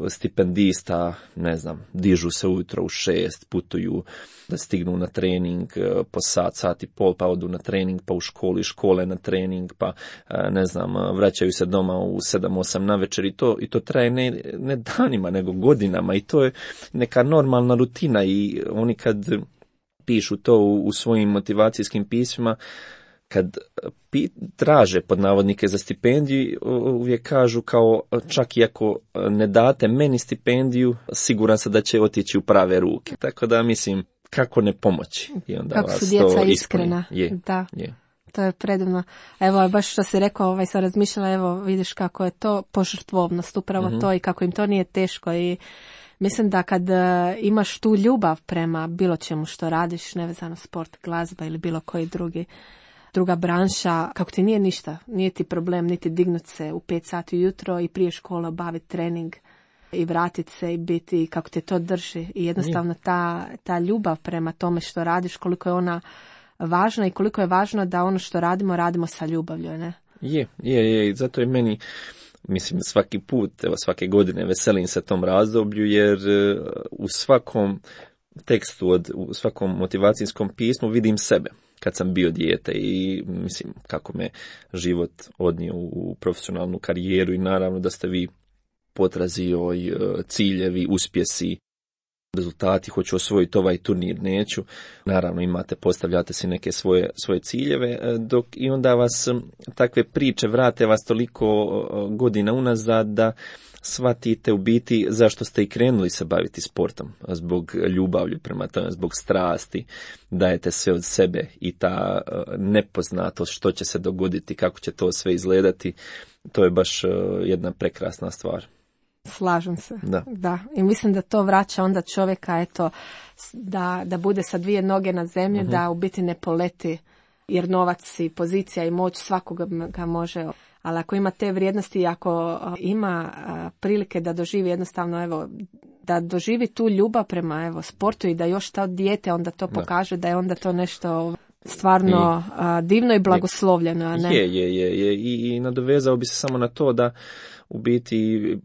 Speaker 3: stipendista, ne znam, dižu se ujutro u 6, putuju da stignu na trening po sat i pol, pa odu na trening, pa u škole na trening, pa ne znam, vraćaju se doma u 7-8 navečer, i to traje ne danima, nego godinama, i to je neka normalna rutina. I oni kad pišu to u svojim motivacijskim pismima, kad traže pod navodnike za stipendiju, uvijek kažu kao, čak i ako ne date meni stipendiju, siguran sam da će otići u prave ruke. Tako da, mislim, kako ne pomoći. I onda
Speaker 2: kako su djeca iskrena. Da. To je predivno. Evo, baš što si rekao, sam razmišljala, evo, vidiš kako je to požrtvovnost, upravo to, i kako im to nije teško. I mislim da kad imaš tu ljubav prema bilo čemu što radiš, nevezano sport, glazba ili bilo koji druga branša, kako ti nije ništa, nije ti problem niti dignut se u 5 sati ujutro i prije škole obaviti trening i vratiti se i biti, kako te to drži. I jednostavno ta ljubav prema tome što radiš, koliko je ona važna i koliko je važno da ono što radimo sa ljubavlju, ne?
Speaker 3: Je. Zato je meni, mislim, svaki put, evo, svake godine veselim se tom razdoblju, jer u svakom tekstu, u svakom motivacijskom pismu vidim sebe kad sam bio dijete, i mislim kako me život odnio u profesionalnu karijeru, i naravno da ste vi potrazi ciljevi, uspjesi, rezultati, hoću osvojiti ovaj turnir, neću. Naravno postavljate si neke svoje ciljeve, dok i onda vas takve priče vrate vas toliko godina unazad da shvatite u biti zašto ste i krenuli se baviti sportom. Zbog ljubavlju prema tome, zbog strasti, dajete sve od sebe, i ta nepoznatost što će se dogoditi, kako će to sve izgledati, to je baš jedna prekrasna stvar.
Speaker 2: Slažem se. Da. I mislim da to vraća onda čovjeka, eto, da bude sa 2 noge na zemlji, da u biti ne poleti, jer novac i pozicija i moć svakoga ga može. Ali ako ima te vrijednosti, ako ima prilike da doživi jednostavno, evo, da doživi tu ljubav prema sportu, i da još to dijete onda to pokaže da je onda to nešto stvarno divno i blagoslovljeno. Ne?
Speaker 3: Je. I nadovezao bi se samo na to da u biti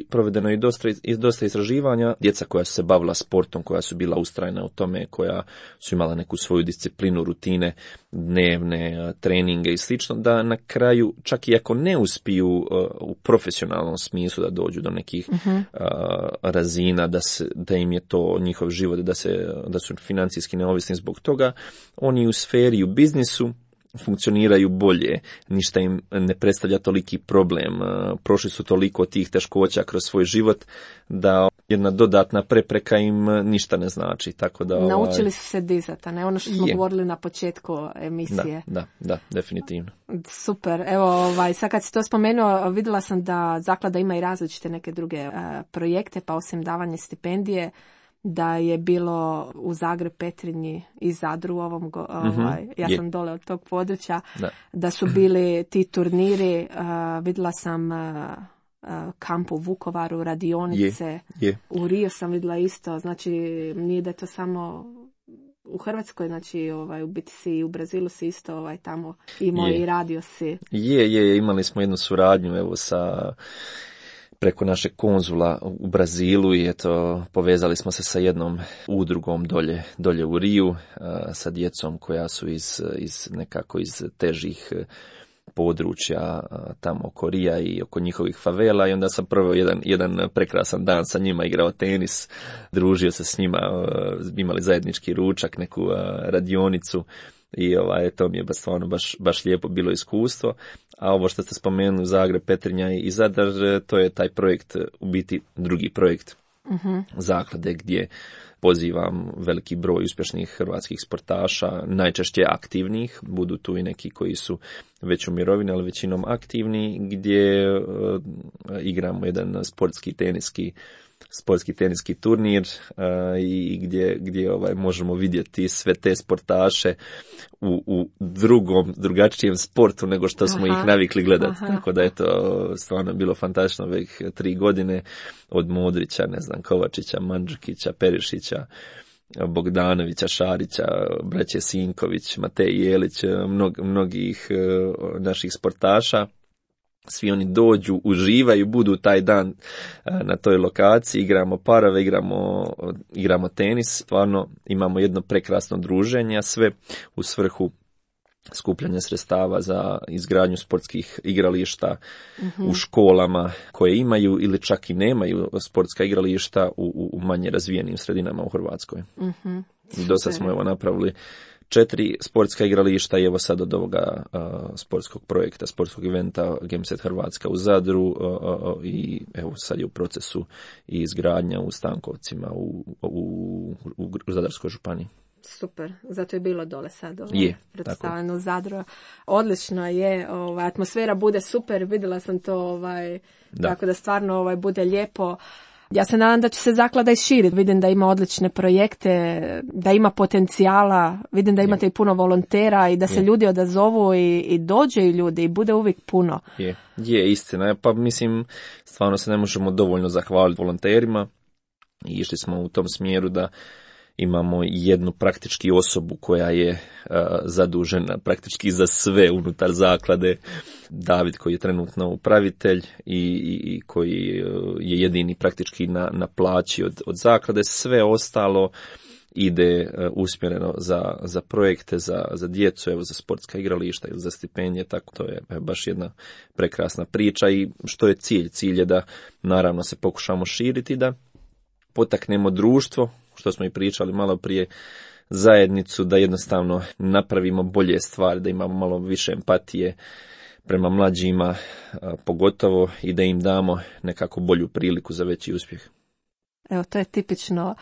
Speaker 3: provedeno je dosta istraživanja. Djeca koja su se bavila sportom, koja su bila ustrajna u tome, koja su imala neku svoju disciplinu, rutine, dnevne treninge i slično, da na kraju, čak i ako ne uspiju u profesionalnom smislu da dođu do nekih razina, da im je to njihov život, da su financijski neovisni zbog toga, oni u sferi, u biznisu funkcioniraju bolje, ništa im ne predstavlja toliki problem, prošli su toliko tih teškoća kroz svoj život da jedna dodatna prepreka im ništa ne znači. Tako da,
Speaker 2: naučili su se dizati, a ne ono što smo govorili na početku emisije.
Speaker 3: Da, definitivno.
Speaker 2: Super, evo sad kad si to spomenuo, vidjela sam da zaklada ima i različite neke druge projekte, pa osim davanja stipendije, da je bilo u Zagreb, Petrinji i Zadru ja sam dole od tog područja, da su bili ti turniri, vidjela sam kamp u Vukovaru, radionice, u Rio sam vidjela isto, znači nije da to samo u Hrvatskoj, znači u biti si i u Brazilu si isto tamo imao i radio si.
Speaker 3: Imali smo jednu suradnju preko našeg konzula u Brazilu i povezali smo se sa jednom udrugom dolje u Riju, sa djecom koja su iz težih područja tamo oko Rija i oko njihovih favela, i onda sam prvo jedan prekrasan dan sa njima igrao tenis, družio se s njima, imali zajednički ručak, neku radionicu. I to mi je stvarno baš lijepo bilo iskustvo. A ovo što ste spomenuli, Zagreb, Petrinja i Zadar, to je taj projekt, u biti drugi projekt zaklade, gdje pozivam veliki broj uspješnih hrvatskih sportaša, najčešće aktivnih, budu tu i neki koji su već u mirovini, ali većinom aktivni, gdje igramo jedan sportski teniski turnir i gdje možemo vidjeti sve te sportaše u drugačijem sportu nego što smo ih navikli gledati. Tako da je to stvarno bilo fantastično ovih 3 godine, od Modrića, Kovačića, Mandžukića, Perišića, Bogdanovića, Šarića, braće Sinković, Matej Jelić, mnogih naših sportaša. Svi oni dođu, uživaju, budu taj dan na toj lokaciji, igramo parove, igramo tenis, stvarno imamo jedno prekrasno druženje, a sve u svrhu skupljanja sredstava za izgradnju sportskih igrališta u školama koje imaju ili čak i nemaju sportska igrališta u manje razvijenim sredinama u Hrvatskoj. Do sad smo napravili 4 sportska igrališta i evo sad od ovoga sportskog projekta, sportskog eventa Gameset Hrvatska u Zadru i evo sad je u procesu i izgradnja u Stankovcima u Zadarskoj županiji.
Speaker 2: Super, zato je bilo dole sad predstavljeno u Zadru. Odlično je, atmosfera bude super, vidjela sam to, tako da stvarno bude lijepo. Ja se nadam da će se zaklada i širiti. Vidim da ima odlične projekte, da ima potencijala, vidim da imate i puno volontera i da se ljudi odazovu i dođe ljudi i bude uvijek puno.
Speaker 3: Je istina. Pa mislim, stvarno se ne možemo dovoljno zahvaliti volonterima i išli smo u tom smjeru da imamo jednu praktički osobu koja je zadužena praktički za sve unutar zaklade, David koji je trenutno upravitelj i koji je jedini praktički na plaći od zaklade. Sve ostalo ide usmjereno za projekte, za djecu, evo za sportska igrališta ili za stipendije, tako to je baš jedna prekrasna priča. I što je cilj? Cilj je da naravno se pokušamo širiti, da potaknemo društvo, što smo i pričali malo prije, zajednicu, da jednostavno napravimo bolje stvari, da imamo malo više empatije prema mlađima, pogotovo, i da im damo nekako bolju priliku za veći uspjeh.
Speaker 2: Evo, to je tipično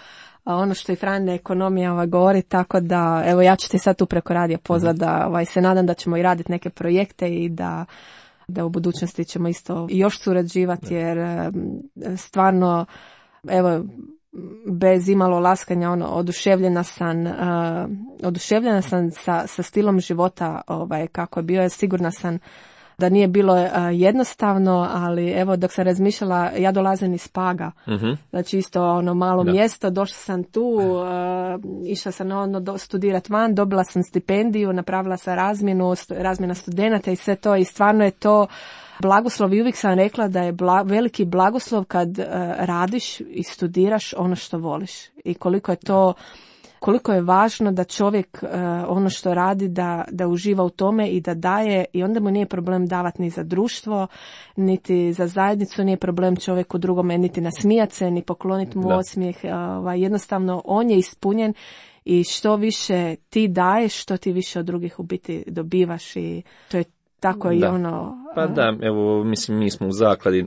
Speaker 2: ono što i Franjina ekonomija govori, tako da, evo, ja ću ti sad tu preko radija pozvati da se nadam da ćemo i raditi neke projekte i da u budućnosti ćemo isto još surađivati, jer stvarno, evo, bez imalo laskanja, oduševljena sam sa stilom života kako je bio. Sigurna sam da nije bilo jednostavno, ali evo dok sam razmišljala, ja dolazim iz Paga, znači isto ono malo mjesto, došla sam tu, išla sam studirati van, dobila sam stipendiju, napravila sam razmjena studenata i sve to i stvarno je to blagoslov i uvijek sam rekla da je veliki blagoslov kad radiš i studiraš ono što voliš i koliko je važno da čovjek ono što radi da uživa u tome i da daje i onda mu nije problem davati ni za društvo, niti za zajednicu, nije problem čovjeku drugome niti nasmijati se, ni pokloniti mu osmijeh, jednostavno on je ispunjen i što više ti daješ, što ti više od drugih u biti dobivaš i to je tako i ono...
Speaker 3: Pa da, evo, mislim, mi smo u zakladi,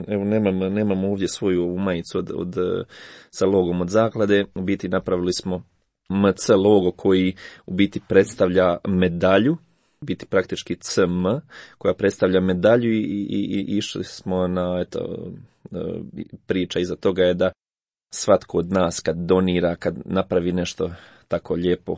Speaker 3: evo, nemamo ovdje svoju majicu sa logom od zaklade, u biti napravili smo MC logo koji u biti predstavlja medalju, biti praktički CM, koja predstavlja medalju i išli smo na, priča iza toga je da svatko od nas kad donira, kad napravi nešto tako lijepo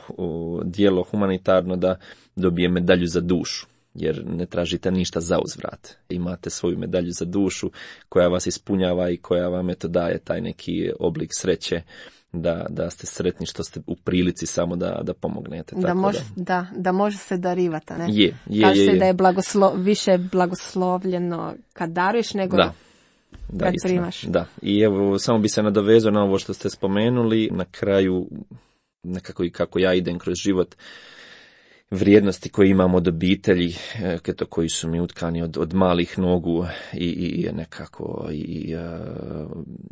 Speaker 3: djelo humanitarno, da dobije medalju za dušu. Jer ne tražite ništa za uzvrat. Imate svoju medalju za dušu koja vas ispunjava i koja vam daje taj neki oblik sreće da ste sretni što ste u prilici samo da pomognete.
Speaker 2: Da može se darivati, ne?
Speaker 3: Kaže
Speaker 2: se da je više blagoslovljeno kad daruješ nego kad primaš.
Speaker 3: Da, i evo, samo bi se nadovezao na ovo što ste spomenuli, na kraju nekako i kako ja idem kroz život, vrijednosti koje imamo od obitelji, koji su mi utkani od malih nogu i nekako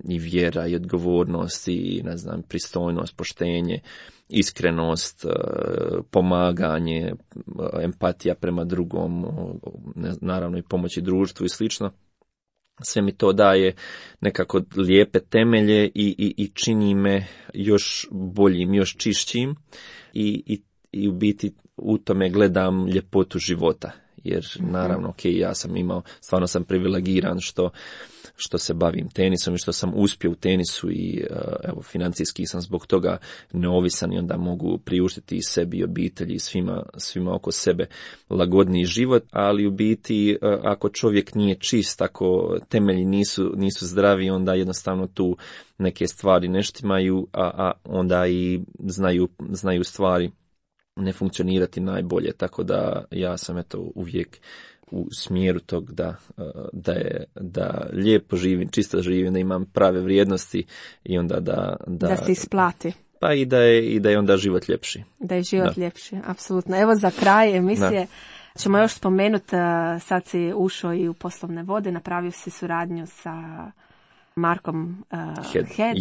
Speaker 3: i vjera i odgovornost i ne znam, pristojnost, poštenje, iskrenost, pomaganje, empatija prema drugom, naravno i pomoći društvu i slično. Sve mi to daje nekako lijepe temelje i čini me još boljim, još čišćim i u biti u tome gledam ljepotu života, jer naravno, ja sam stvarno sam privilegiran što se bavim tenisom i što sam uspio u tenisu i evo, financijski sam zbog toga neovisan i onda mogu priuštiti i sebi i obitelji i svima oko sebe lagodniji život, ali u biti ako čovjek nije čist, ako temelji nisu zdravi, onda jednostavno tu neke stvari ne štimaju, a onda i znaju stvari ne funkcionirati najbolje, tako da ja sam uvijek u smjeru tog da lijepo živim, čisto živim, da imam prave vrijednosti i onda
Speaker 2: da se isplati.
Speaker 3: Pa i da je onda život ljepši.
Speaker 2: Da je život ljepši, apsolutno. Evo za kraj emisije ćemo još spomenuti, sad si ušao i u poslovne vode, napravio si suradnju sa Markom Head.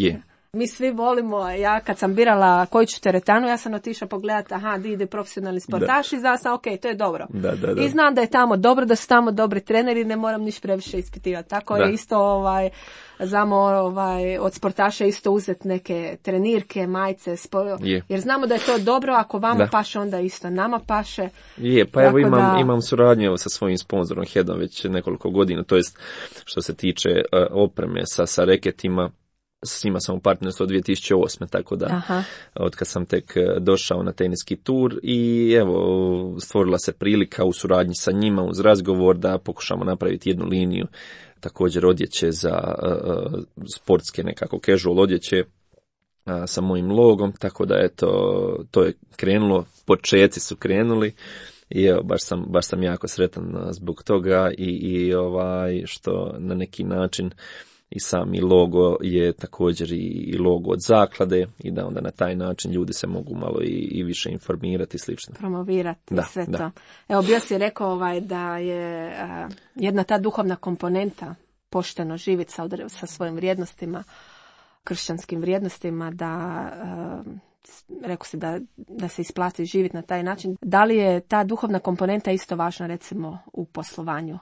Speaker 2: Mi svi volimo, ja kad sam birala koju ću teretanu, ja sam otišla pogledati, di ide profesionalni sportaš i znala sam, ok, to je dobro.
Speaker 3: Da.
Speaker 2: I znam da je tamo dobro, da su tamo dobri treneri, ne moram niš previše ispitivati. Tako je isto, znamo od sportaša isto uzeti neke trenirke, majice, jer znamo da je to dobro, ako vama paše, onda isto nama paše.
Speaker 3: Pa evo imam suradnju sa svojim sponzorom Headom već nekoliko godina, to jest što se tiče opreme sa reketima. S njima sam u partnerstvu od 2008. tako da od kad sam tek došao na teniski tur i evo stvorila se prilika u suradnji sa njima uz razgovor da pokušamo napraviti jednu liniju također odjeće za sportske nekako casual odjeće sa mojim logom, tako da to je krenulo, počeci su krenuli i evo baš sam jako sretan zbog toga i što na neki način i sami logo je također i logo od zaklade i da onda na taj način ljudi se mogu malo i više informirati i slično.
Speaker 2: Promovirati sve to. Evo, bio si rekao da je jedna ta duhovna komponenta pošteno živjeti sa svojim vrijednostima, kršćanskim vrijednostima, rekao si da se isplati živjeti na taj način. Da li je ta duhovna komponenta isto važna recimo u poslovanju,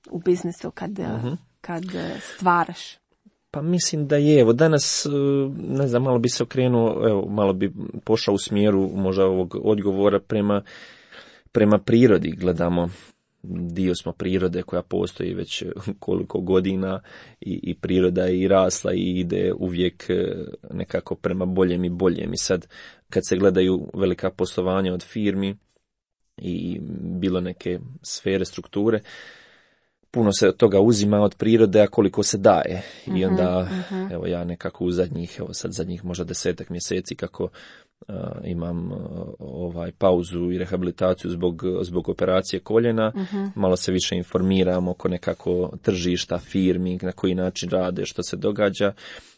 Speaker 2: u biznisu, kad stvaraš?
Speaker 3: Pa mislim da je. Evo danas, ne znam, malo bi se okrenuo, evo, malo bi pošao u smjeru možda ovog odgovora prema prirodi. Gledamo, dio smo prirode koja postoji već koliko godina i priroda je i rasla i ide uvijek nekako prema boljem i boljem. I sad kad se gledaju velika poslovanja od firmi, i bilo neke sfere, strukture, puno se od toga uzima od prirode, a koliko se daje. I onda, evo ja nekako u zadnjih možda 10 mjeseci kako imam pauzu i rehabilitaciju zbog operacije koljena, malo se više informiram oko nekako tržišta, firmi, na koji način rade, što se događa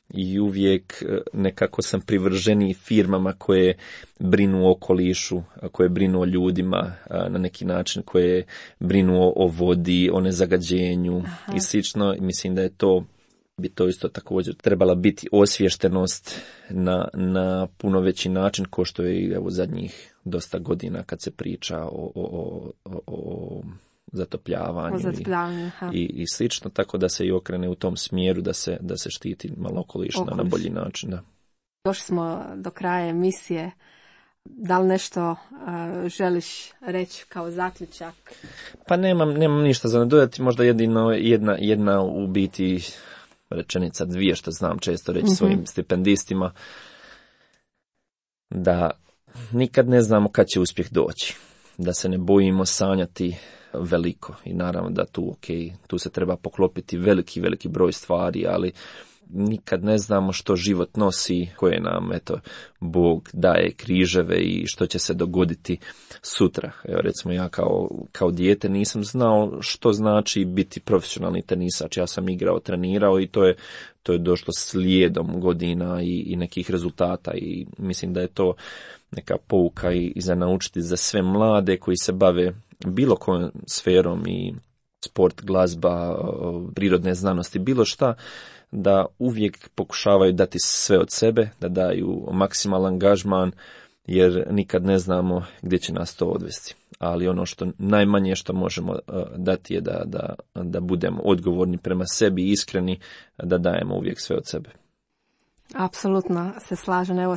Speaker 3: i uvijek nekako sam privrženiji firmama koje brinu o okolišu, koje brinu o ljudima na neki način, koje brinu o vodi, o nezagađenju i slično. Mislim da bi to isto također trebala biti osviještenost na puno veći način, ko što je evo zadnjih dosta godina kad se priča o zatopljavanju i slično, tako da se i okrene u tom smjeru da se štiti malo okoliš na bolji način. Da.
Speaker 2: Došli smo do kraja emisije. Da li nešto želiš reći kao zaključak?
Speaker 3: Pa nemam ništa za nadodati, možda jedino jedna u biti rečenica, dvije što znam često reći svojim stipendistima, da nikad ne znamo kad će uspjeh doći, da se ne bojimo sanjati veliko i naravno da tu se treba poklopiti veliki broj stvari, ali nikad ne znamo što život nosi, koje nam Bog daje križeve i što će se dogoditi sutra. Evo, recimo ja kao dijete nisam znao što znači biti profesionalni tenisač. Ja sam igrao, trenirao i to je došlo slijedom godina i nekih rezultata i mislim da je to neka pouka i za naučiti za sve mlade koji se bave bilo kojom sferom i sport, glazba, prirodne znanosti, bilo šta, da uvijek pokušavaju dati sve od sebe, da daju maksimalan angažman, jer nikad ne znamo gdje će nas to odvesti. Ali ono što najmanje što možemo dati je da budemo odgovorni prema sebi i iskreni, da dajemo uvijek sve od sebe.
Speaker 2: Apsolutno se slažem. Evo,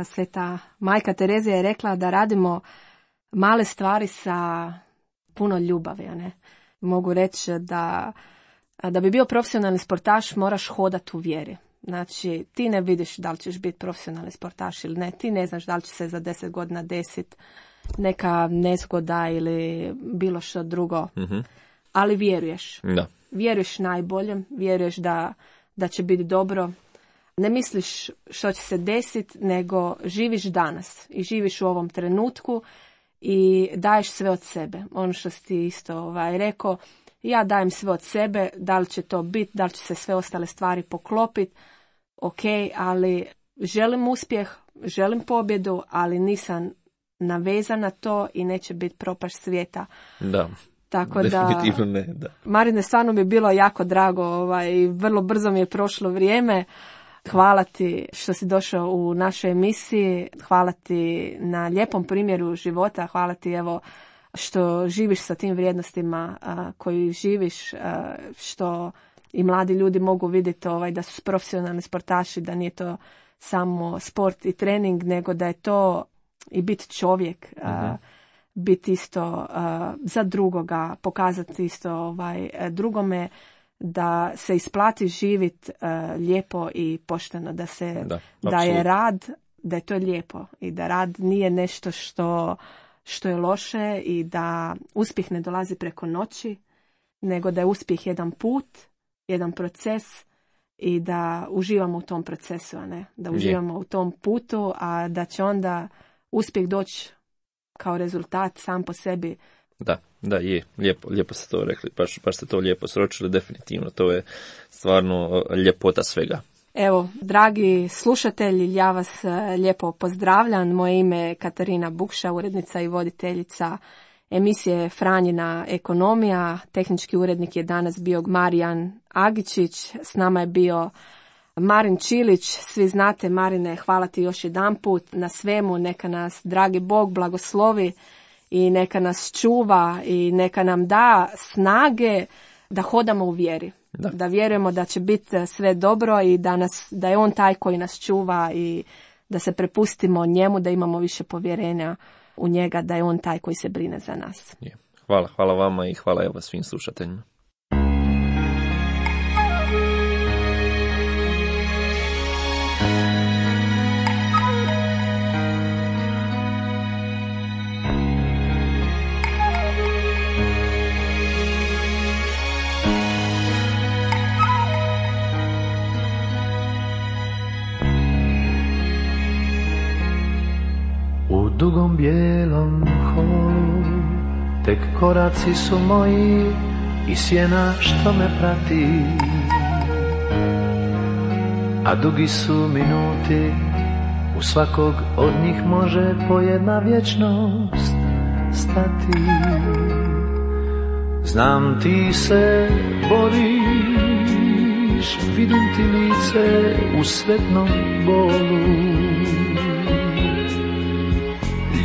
Speaker 2: sveta majka Terezija je rekla da radimo male stvari sa puno ljubavi. Ne? Mogu reći da bi bio profesionalni sportaš moraš hodati u vjeri. Znači, ti ne vidiš da li ćeš biti profesionalni sportaš ili ne. Ti ne znaš da li će se za 10 godina desiti neka nezgoda ili bilo što drugo. Ali vjeruješ.
Speaker 3: Da.
Speaker 2: Vjeruješ najboljem, vjeruješ da će biti dobro. Ne misliš što će se desiti, nego živiš danas i živiš u ovom trenutku i daješ sve od sebe. Ono što si ti isto rekao, ja dajem sve od sebe, da li će to biti, da li će se sve ostale stvari poklopiti, ok, ali želim uspjeh, želim pobjedu, ali nisam navezan na to i neće biti propašt svijeta.
Speaker 3: Da.
Speaker 2: Tako
Speaker 3: definitivno ne, da.
Speaker 2: Marine, stvarno mi je bilo jako drago i vrlo brzo mi je prošlo vrijeme. Hvala ti što si došao u našoj emisiji, hvala ti na lijepom primjeru života, hvala ti evo što živiš sa tim vrijednostima koji živiš, što i mladi ljudi mogu vidjeti da su profesionalni sportaši, da nije to samo sport i trening, nego da je to i biti čovjek, biti isto za drugoga, pokazati isto drugome, da se isplati živjeti lijepo i pošteno, da je rad, da je to lijepo i da rad nije nešto što je loše i da uspjeh ne dolazi preko noći, nego da je uspjeh jedan put, jedan proces i da uživamo u tom procesu, a ne da uživamo u tom putu, a da će onda uspjeh doći kao rezultat sam po sebi.
Speaker 3: Da, je. Lijepo ste to rekli, baš ste to lijepo sročili, definitivno. To je stvarno ljepota svega.
Speaker 2: Evo, dragi slušatelji, ja vas lijepo pozdravljam. Moje ime je Katarina Bukša, urednica i voditeljica emisije Franjina ekonomija. Tehnički urednik je danas bio Marijan Agičić, s nama je bio Marin Čilić. Svi znate, Marine, hvala ti još jedanput na svemu, neka nas dragi Bog blagoslovi i neka nas čuva i neka nam da snage da hodamo u vjeri. Da vjerujemo da će biti sve dobro i da je on taj koji nas čuva i da se prepustimo njemu, da imamo više povjerenja u njega, da je on taj koji se brine za nas.
Speaker 3: Hvala vama i hvala evo svim slušateljima.
Speaker 1: dugom bijelom holu, tek koraci su moji i sjena što me prati, a dugi su minuti, u svakog od njih može po jedna vječnost stati. Znam ti se boriš, vidim ti lice u sretnom bolu,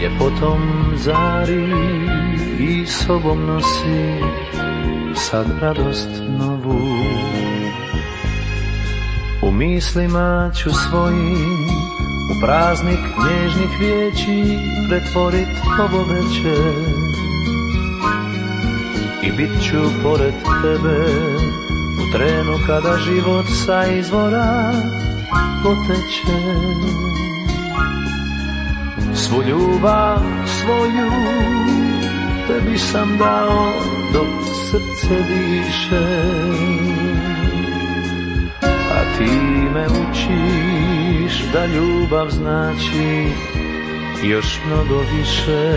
Speaker 1: ljepotom zari i sobom nosi sad radost novu. U mislima ću svojim u praznik nježnih riječi pretvorit ovo večer i bit ću pored tebe u trenu kada život sa izvora poteče. Svu ljubav svoju tebi sam dao dok srce diše, a ti me učiš da ljubav znači još mnogo više.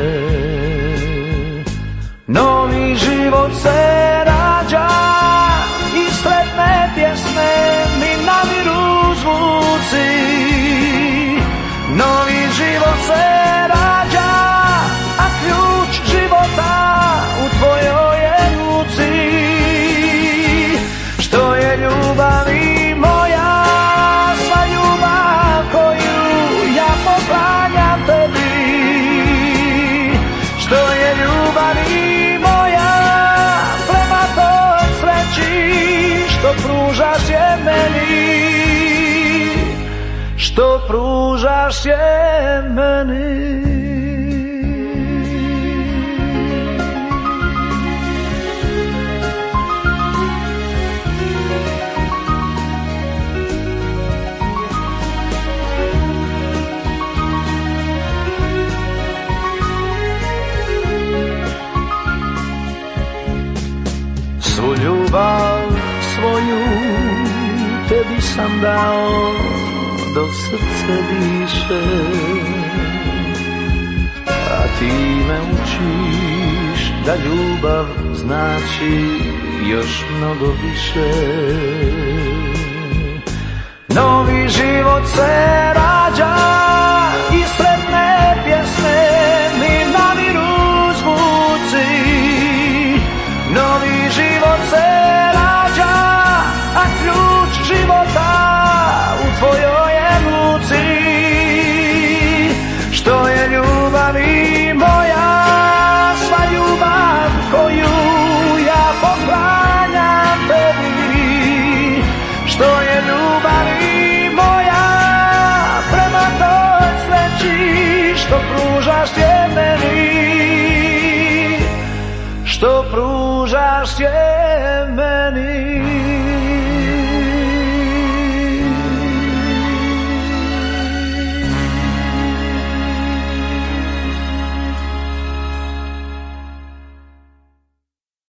Speaker 1: Novi život se rađa i sretne pjesme mi namiru zvuci. Novi život se rađa, a ključ života u tvojoj je ruci. Što je ljubav i moja, sva ljubav koju ja poklanjam tebi. Što je ljubav i moja, prema toj sreći što pružaš je meni, što pružaš je meni. Svu ljubav svoju tebi sam dao dok srce diše, a ti me učiš da ljubav znači još mnogo više. Novi život se rađa i sretne pjesme mi namiru zvuci. Novi život se rađa, a ključ života u tvojoj je ruci. Što je ljubav i moja, sva ljubav koju ja poklanjam tebi. Što je ljubav i moja, prema toj sreći što pružaš je meni, što pružaš je meni.